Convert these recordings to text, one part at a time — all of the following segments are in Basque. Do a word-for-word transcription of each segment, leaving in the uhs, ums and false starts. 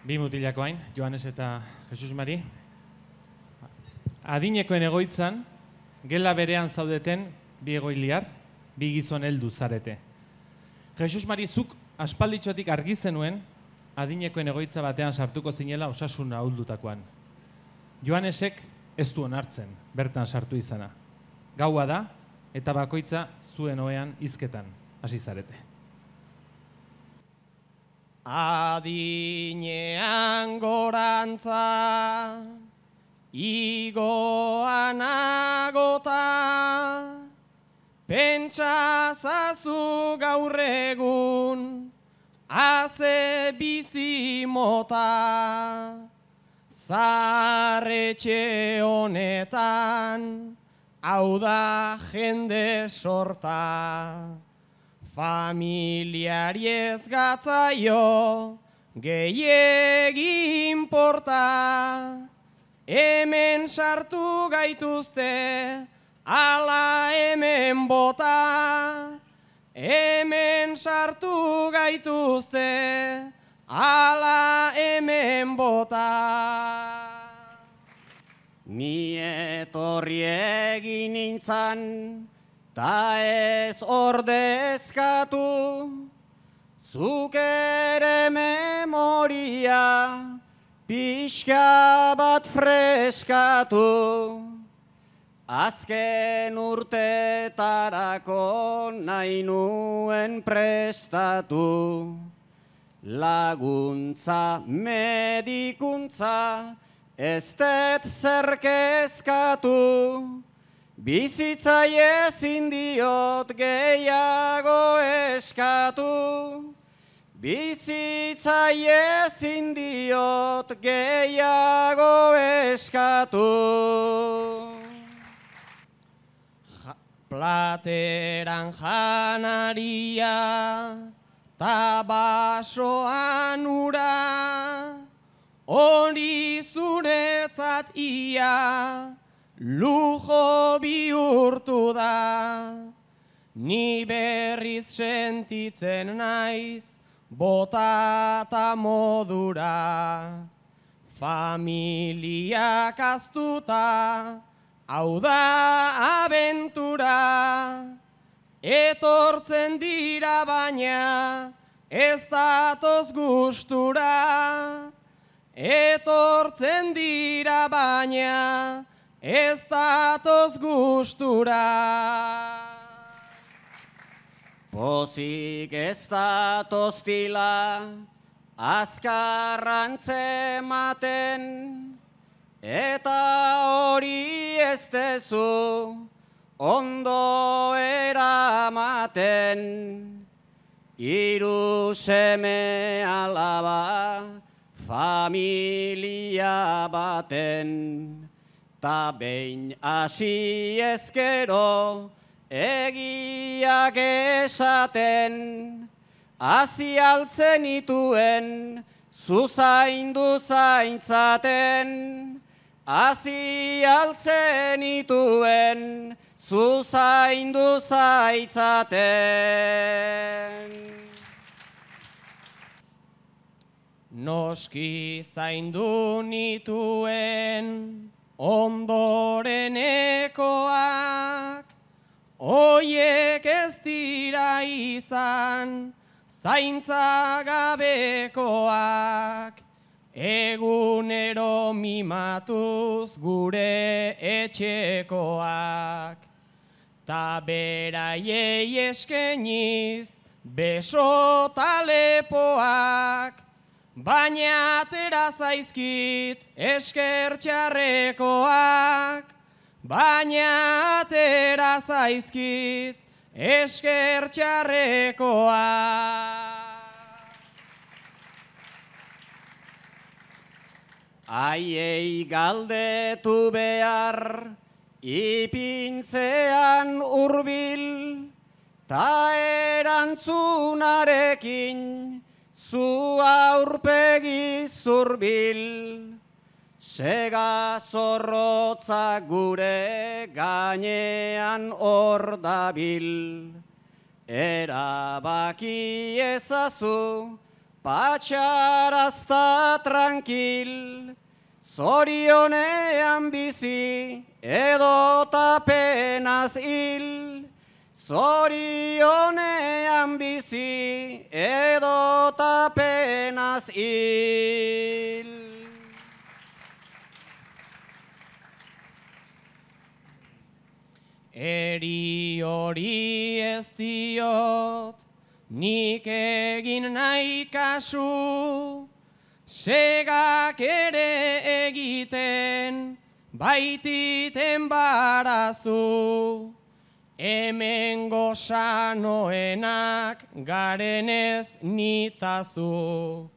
Bi mutilako hain, Joanes eta Jesus Mari. Adinekoen egoitzan, gela berean zaudeten bi egoiliar, bi gizon heldu zarete. Jesus Mari, zuk aspalditxotik argi zenuen, adinekoen egoitza batean sartuko zinela osasun ahuldutakoan. Joanesek ez du onartzen, bertan sartu izana. Gaua da, eta bakoitza zuen ohean hizketan hasi zarete. Adinean gorantza, igoan agota, pentsazazu gaur egun, haze bizi mota, zarretxe honetan, hau da jende sorta. Familiari ez gatzaio, gehiegi inporta, hemen sartu gaituzte, ala hemen bota. Hemen sartu gaituzte, ala hemen bota. Ni etorri egin nintzan, ta ez ordezkatu, zuk ere memoria pixka bat freskatu. Azken urtetarako nahi nuen prestatu, laguntza medikuntza ez det zerkezkatu. Bizitzai ezin diot gehiago eskatu, bizitzai ezin diot gehiago eskatu. Ja, plateran janaria, ta basoan ura, hori zuretzat ia, lujo bihurtu da. Ni berriz sentitzen naiz, botata modura. Familiak aztuta, hau da abentura. Etortzen dira baina, ez datoz gustura. Etortzen dira baina, ez datoz gustura. Pozik ez datoz tila, azkarrantzematen, eta hori ez dezu ondo eramaten. Hiru seme alaba, familia baten, ta behin hasi ezkero egiak esaten, hasi altzen ituen zuzaindu zaintzaten, hasi altzen ituen zuzaindu zaintzaten. Noski zaindu nituen ondorenekoak, oiek ez dira izan zaintza gabekoak, egunero mimatuz gure etxekoak, ta beraiei eskeniz beso talepoak, baina atera zaizkit esker txarrekoak, baina atera zaizkit esker txarrekoak. Aiei galdetu behar, ipintzean hurbil, ta erantzunarekin zu aurpegi zurbil. Sega zorrotza gure gainean hor dabil, erabaki ezazu patxarazta tranquil, zorionean bizi edota penaz hil. Zorionean bizi edota penaz hil. Eri hori ez diot, nik egin nahi kasu, segak ere egiten, baititen barazu. Hemen gozanoenak garenez nitazu,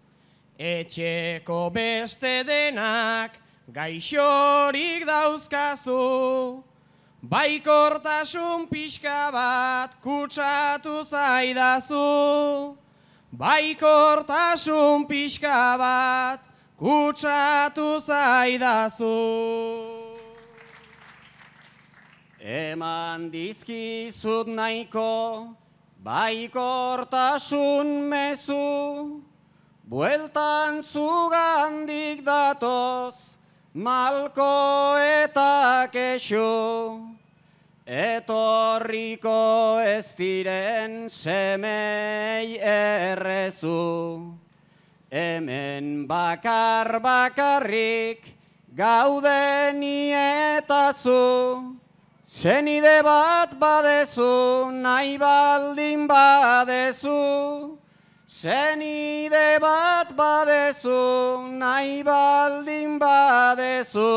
etxeko beste denak gaixorik dauzkazu. Baikortasun pixka bat kutsatu zaidazu, baikortasun pixka bat kutsatu zaidazu. Eman dizkizut nahiko baikortasun mezu, bueltan zugandik datoz malko eta kexu. Etorriko ez diren semei errezu, hemen bakar bakarrik gaude ni eta zu. Senide bat badezu, nahi baldin badezu. Senide bat badezu, nahi baldin badezu.